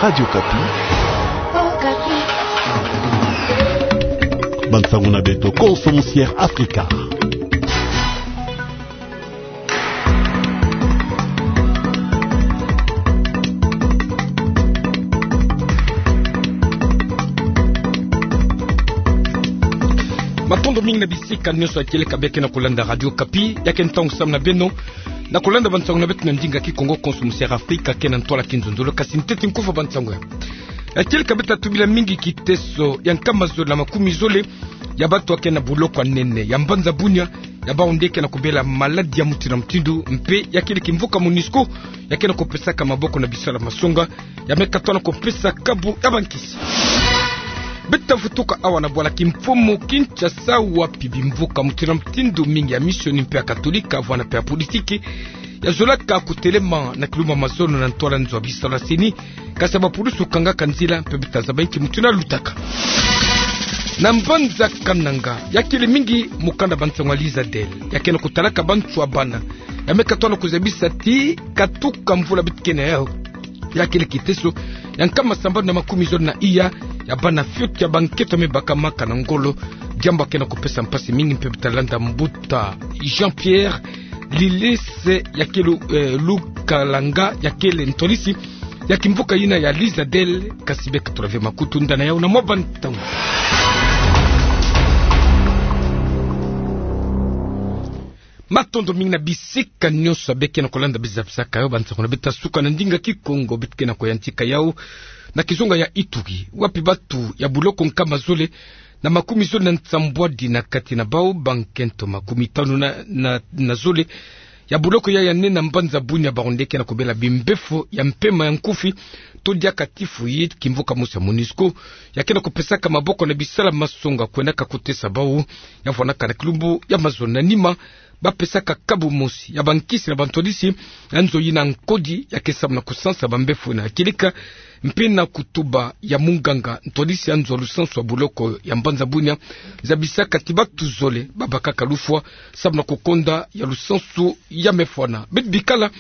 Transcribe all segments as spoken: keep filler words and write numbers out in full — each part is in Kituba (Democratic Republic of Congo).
Radio Okapi. Bansango na beto, Konso Musiere Afrika. Matondo mingi na bisika nyonso ya kieleka bia ke na kolanda Radio Okapi. Ya ke ntangu samu na beno na kolanda bansango na beto na ndinga Kikongo, Konso Musiere Afrika ke na ntwala kinzonzolo. Kasi ntete nkufa bansango ya, ya kieleka, beto tubila mingi kiteso ya nkama zole na makumi zole ya bato ya ke na boloko ya nene ya mbanza Bunia, ya bawu nde ke na kobela maladi ya mutindu na mutindu, mpe ya kele kimvuka MONUSCO ya ke na kopesaka maboko na bisalu ya masonga ya me katwana kopesa kabu ya bankisi. Beto tavutuka awa na bwala kimfumu Kinshasa, wapi bimvuka mutindu na mutindu mingi ya misioni mpe ya katolika, vwanda mpe ya politiki, ya zolaka kotelema na kilumbu ya mazono na ntwala nzo ya bisalu ya CENI, kasi ya bapulusu kangaka nzila, mpe beto tazaba inki mutindu ya lutaka. Na mbanza Kananga, ya kele mingi mokanda bansango ya Lizadel ya ke na kotalaka bantu ya bana ya me katwana kozabisa ti katuka mvula beto ke na yawu. Ya kele kiteso ya nkama sambanu na makumi zole na iya ya bana fioti ya bankento ya me bakamaka na ngolo. Diambu ya ke na kopesa mpasi mingi, mpe beto talanda mbuta Jean-Pierre Lilese, ya kele, eh, Lukalanga, ya kele ntwadisi ya kimvuka yina ya Lizadel, kasi beka tula ve makutu ndana yawu na mwa bantangu. Matondo mingi na bisika nyonso ya bia ke na kolanda, bia zabisaka yawu. Bansango na beto ya suka na ndinga Kikongo beto ke na koyantika yawu na kizunga ya Ituri, wapi bato ya boloko nkama zole na makumi zole na nsambwadi, na kati na bawu bankento makumi tanu na, na, na zole ya boloko ya, ya nene na mbanza Bunia, bawu nde ke na kobela bimbefo ya mpema ya nkufi, to diaka typhoïde, kimvuka mosi ya MONUSCO ya ke na kopesaka maboko na bisalu ya masonga kwendaka kotesa bawu ya vwandaka na kilumbu ya mazono. Na nima, bapesaka kabu mosi ya bankisi na bantwadisi ya nzo yina nkodi ya ke samu na kosansa bambefo yina ya kieleka, mpe na kutuba ya munganga ntwadisi ya nzo ya lusansu ya boloko ya mbanza Bunia, zabisaka ti bato zole babakaka lufwa samu na kokonda ya lusansu ya mefwana. Beto bikala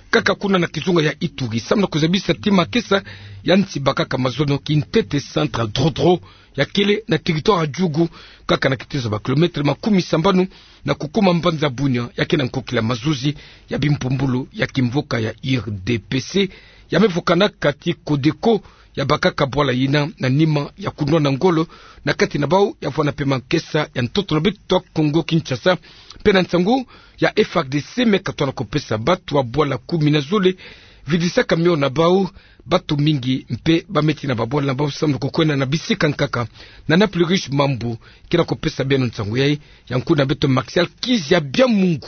kaka kuna na kizunga ya Ituri samu na kozabisa ti makesa ya nsi bakaka mazono, kintete centre ya Drodro, ya kele na territoire ya Djugu, kaka na kiteso ya bakilometre makumi sambanu na kukuma mbanza Bunia, ya ke na nkokila mazuzi ya bimpumbulu ya kimvuka ya U R D P C, ya me vukanaka ti CODECO, ya bakaka bwala yina na nima ya kunwana ngolo na kati na bawu, ya vwanda mpe makesa ya ntoto na beto ya Kongo Kinshasa. Mpe na nsangu ya F A R D C me katwana kopesa bato ya bwala kumi na zole vidisaka mio na bawu, bato mingi mpe ba me tina babwala na bawu samu na kokwenda na bisika nkaka. Nana Plurish Mambu ke na kopesa beno nsangu yayi, ya nkundi na beto Martial Kizia Biamungu.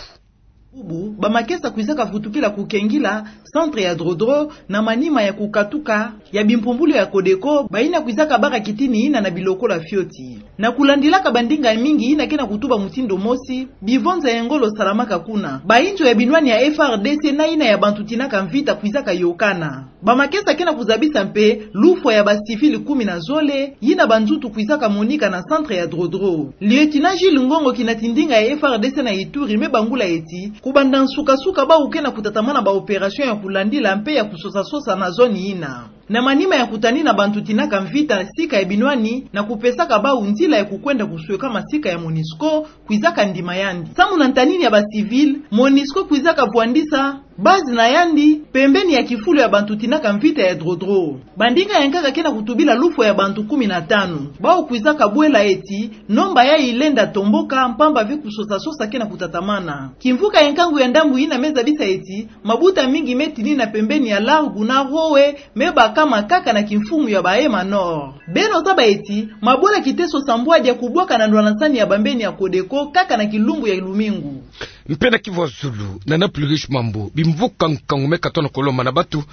Bubu, bamakesa kwizaka vutukila kukengila centre ya Drodro na manima ya kukatuka ya bimpumbulu ya CODECO, bayina kwizaka baka kitini yina na bilokolo ya fioti. Na kulandilaka bandinga ya mingi yina ke na kutuba mutindu mosi, bivonza ya ngolo salamaka kuna. Bayinzo ya binwani ya F A R D C na yina ya bantu tinaka mvita kwizaka yokana. Bamakesa ke na kuzabisa mpe lufwa ya bacivil kumi na zole yina banzutu kwizaka monika na centre ya Drodro. Lieutenant Jules Ngongo, kinati ndinga ya F A R D C na Ituri, me bangula eti, kubanda nsuka-nsuka bawu ke na kutatamana baopération ya kulandila mpe ya kusosa-sosa na zone yina, na manima ya kutanina bantu tinaka mvita sika ya binwani na kupesaka bawu nzila ya kukwenda kusweka masika ya MONUSCO kwizaka ndima yandi. Samu na ntanini ya bacivil, MONUSCO kwizaka vwandisa base na yandi pembeni ya kifulu ya bantu tinaka mvita ya Drodro. Bandinga ya nkaka ke na kutubila lufwa ya bantu kumi na tanu. Bawu kwizaka bwela eti nomba yayi lenda tomboka, mpamba ve kusosa-sosa ke na kutatamana. Kimvuka ya nkangu ya ndambu yina me zabisa eti mabuta mingi me tinina pembeni ya Largo na Rowe, me bakama kaka na kimfumu ya Bahema Nord. Beno zaba eti mabwela kiteso sambwadi ya kubwaka na ndwanasani ya bambeni ya CODECO kaka na kilumbu ya lumingu. Mpe na kivu ya zulu, Nana Plurish Mambu, bimvuka nkangu me katwana kolomba na bato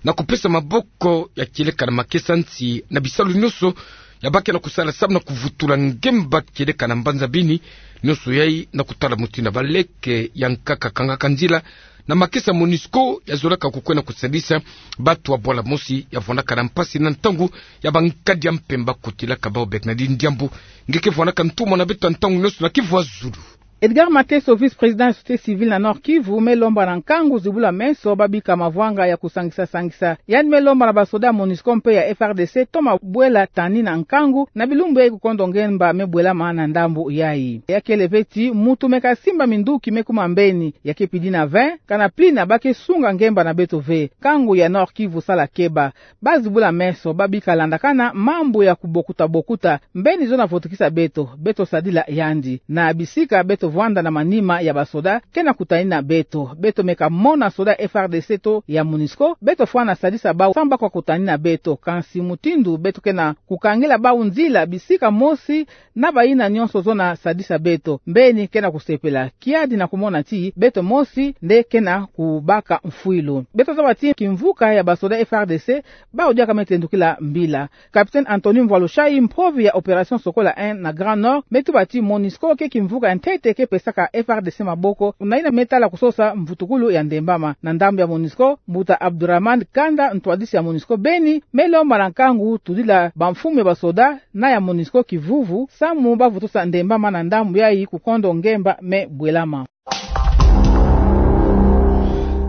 na kupesa maboko ya kieleka na makesa nsi na bisalu nyonso ya ba ke na kusala samu na kuvutula ngemba kieleka na mbanza Beni, nyonso yayi na kutala mutindu baleke ya nkaka kangaka nzila na makesa MONUSCO ya zolaka kukwenda kusadisa bato ya bwala mosi ya vwandaka na mpasi na ntangu ya bankadi ya mpemba. Kotilaka bawu Bernardine Diambu, nge ke vwandaka ntumwa na beto ya ntangu nyonso na kivu ya zulu. Edgar Mateso, vice-président ya société civile na Nord-Kivu, me lomba na nkangu zibula meso babika mavwanga ya kusangisa-sangisa. Yandi me lomba na basoda ya MONUSCO mpe ya F R D C toma bwela tani na nkangu na bilumbu yayi kukondo ngemba me bwelama na ndambu yayi. Ya kele ve ti muntu me kasimba minduki me kuma mbeni, ya ke pidi na ve, kana plina ba ke sunga ngemba na beto ve. Nkangu ya Nord-Kivu sala keba. Ba zibula meso, babika landakana mambu ya kubokuta-bokuta, mbeni zona votukisa beto, beto sadila yandi. Na bisika beto vwanda na manima ya basoda, ke na kutani na beto. Beto me kamona soda F R D C to ya MONUSCO, beto fwana sadisa bau samu ba kwa kutani na beto, kansi mutindu beto ke na kukangila bau nzila bisika mosi, na bayina nyonso zona sadisa beto, mbeni ke na kusepela, kiadi na kumona ti beto mosi nde ke na kubaka mfwilu. Beto zaba ti kimvuka ya basoda F R D C, bau diaka me tendukila mbila. Capitaine Anthony Mvwalushayi, mpovi ya Opération Sokola un na Grand Nord, me tuba ti MONUSCO ke kimvuka ya ntete ke pesaka F R D C maboko, na yina me tala kusosa mvutukulu ya ndembama. Na ndambu ya MONUSCO, mbuta Abdourahmane Kanda, ntwadisi ya MONUSCO beni, me lomba na nkangu tudila bamfumu ya basoda na ya MONUSCO kivuvu, samu ba vutusa ndembama na ndambu yayi kukondo ngemba me bwelama.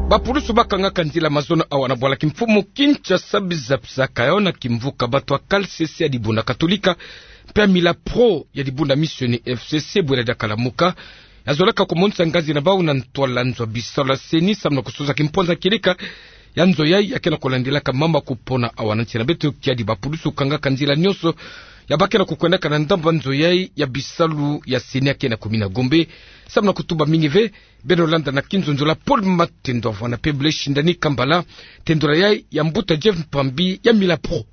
Bapulusu bakangaka nzila mazono awa na bwala kimfumu Kinshasa, biza-bizaka yawu na kimvuka bato ya K L C C ya dibundu Katolika, mpe ya Milapro ya dibundu Missionnaires F C C, bwela diaka lamuka, ya zolaka kumonisa ngazi na bawu na ntwala nzo ya bisalu ya CENI, samu na kusosa kimpwanza kieleka ya nzo yayi ya ke na kulandilaka mamba kupona awa na nsi na beto. Kiadi bapulusu kangaka nzila nyonso ya ba ke na kukwendaka na ndambu ya nzo yayi ya bisalu ya CENI ya ke na kumina Gombe, samu na kutuba mingi ve. Beno landa na kinzonzolo ya Paul Matendo, avwanda mpe Blaise Shindani Kambala, tendolo yayi ya mbuta Jeff Mpambi ya Milapro.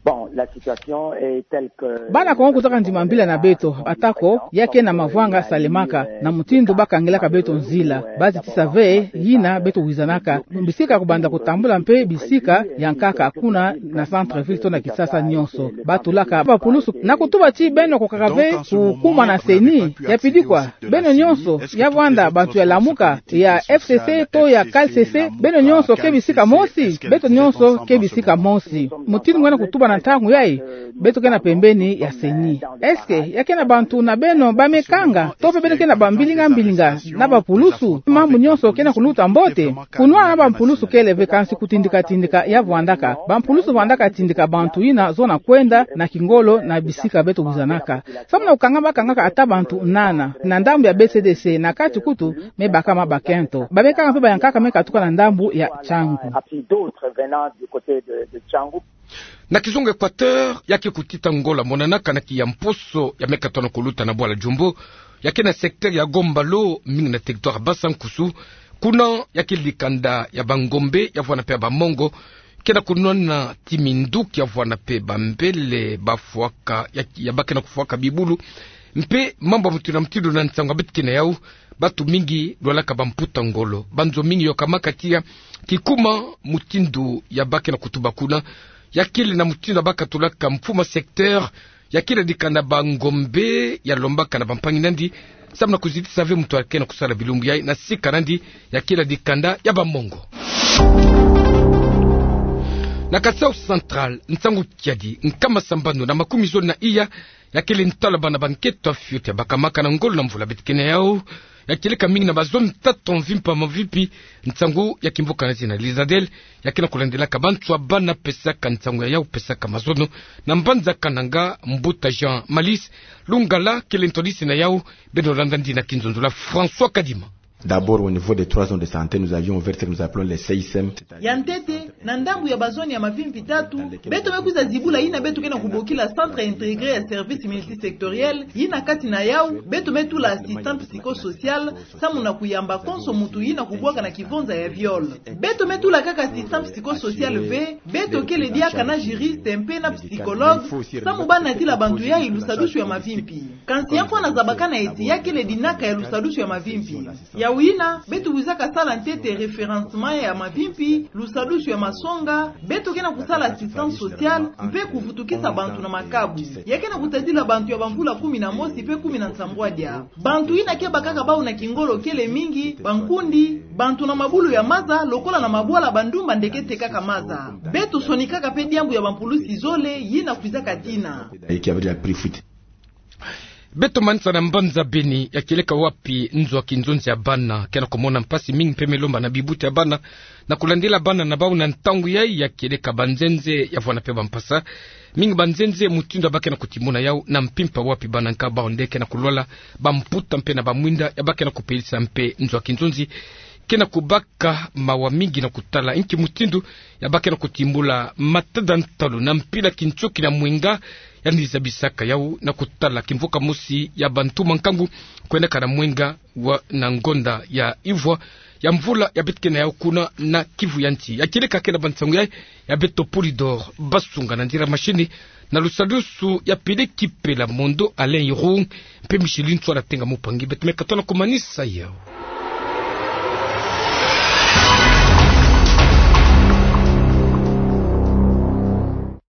Bon, la situation est telle que bana Kongo kuzaka ndima mbila na beto, atako ya ke na mavwanga salemaka, na mutindu bakangilaka beto nzila, bazitisa ve yina beto wizanaka, bisika kubanda kutambula mpe bisika ya nkaka kuna na centre-ville to na Kinshasa nyonso. Batulaka bapulusu na kutuba ti beno kukaka ve kukuma na CENI, ya pidi kwa, beno nyonso, ya vwanda bantu ya Lamuka, ya F C C to ya K L C C, beno nyonso ke bisika mosi, beto nyonso ke bisika mosi. Mutindu ngiena kutuba na ntangu yayi, beto ke na pembeni ya CENI. Est-ce que ya ke na bantu na beno ba me kanga, to mpe beno ke na bambilinga-mbilinga na bapulusu, mambu nyonso ke na kuluta mbote? Kunwana na bapulusu kele ve, kansi kutindika-tindika ya vwandaka. Bapulusu vwandaka tindika bantu yina zona kwenda na kingolo na bisika beto wizanaka. Samu na kukanga bakangaka ata bantu nana, na ndambu ya B C D C, na kati kutu, me baka mabakento. Ba me kanga mpe bayankaka me katuka na ndambu ya Tshangu. Na kizunga Équateur, ya ke kutita ngolo ya monanaka na kiya mposo ya me katona kuluta na bwala Djombo, ya ke na secteur ya Gombalo, mingi na territoire Bassa-Nkousou. Kuna ya ke dikanda ya bangombe, ya vwanda mpe ya bamongo, ke na kunwana ti minduki ya vwanda mpe bambele bafwaka, ya, ya ba ke na kufwaka bibulu. Mpe mambu ya mutindu na mutindu na nsangu ya beto ke na yawu, bantu mingi lwalaka bamputa ngolo. Banzo mingi yokamaka tiya kikuma mutindu ya ba ke na kutuba kuna. Ya kele na mutindu ya ba katulaka mfumu ya secteur ya kila dikanda bangombe, ya lombaka na bampangi na yandi samu na kuzitisa ve muntu ya ke na kusala bilumbu yayi na sika na yandi ya kila dikanda ya bamongo. Na Kasai Central, nsangu kiadi, nkama sambanu na makumi zole na iya ya kele ntalu ya bana banketo ya fioti ya bakamaka na ngolo na mvula beto ke na yawu, ya kieleka mingi na bazone tatu mvimpa mvimpi. Nsangu ya kimvuka na zina Lizadel, ya ke na kulandilaka bantu ya bana pesaka nsangu ya yawu, pesaka mazono na mbanza Kananga. Mbuta Jean Malice Lungala kele ntwadisi na yawu. Beno landa yandi na kinzonzolo ya François Kadima. D'abord, au niveau des trois zones de santé, nous avions ouvert ce que nous appelons les C I C M. Ya ntete, na ndambu ya bazone ya mavimpi tatu, beto me kwiza zibula yina beto ke na kubokila centre intégré ya service multisectoriel, yina kati na yawu beto me tula assistant psychosocial, samu na kuyamba konso muntu yina kubwaka na kivonza ya viol. Beto me tula kaka assistant psychosocial ve, beto kele diaka na juriste mpe na psychologue, samu ba natila bantu yayi lusadusu ya mavimpi. Kansi ya mfwana zabakana eti ya kele dinaka ya lusadusu ya mavimpi. Yawu yina, beto kwizaka sala ntete référencement ya mavimpi, lusadusu ya masonga, beto ke na kusala assistance sociale, mpe kuvutukisa bantu na makabu. Ya ke na kutadila bantu ya bamvula kumi na mosi mpe kumi na nsambwadia. Bantu yina ke bakaka bawu na kingolo kele mingi, bankundi, bantu na mabulu ya maza, lokola na mabwala bandumba nde ke tekaka maza. Beto sonikaka mpe diambu ya bampulusi zole, yina kwizaka tina. Et qui avait déjà pris fuite. Beto manisa na mbanza Beni, ya kieleka wapi nzo ya kinzonzi ya bana ke na kumona mpasi mingi mpe me lomba na bibuta ya bana na kulandila bana na bau na ntangu yai. Ya kieleka banzenze ya vwanda mpe bampasa mingi, banzenze mutindu ya ba ke na kutimona yau na mpimpa wapi bana nka bau nde ke na kulwala, bamputa mpe na bamwinda ya ba ke na kupelisa mpe nzo ya kinzonzi ke na kubaka mawa mingi na kutala inki mutindu ya ba ke na kutimbula matada ntalu na mpila kintioki na mwenga. Yandi zabisaka yau na kutala kimvuka mosi ya bantu mankangu kwendaka na mwenga wa na ngonda ya ivwa ya mvula ya beto ke na yau kuna na Kivu ya nti. Ya kieleka ke na bansangu yai ya beto Polydor Basunga na nzila machine na lusalusu ya Peleki Pela Mondo Alain Irung mpe Micheline Tswala Tenga Mupangi, beto me katoa na kumanisa yau.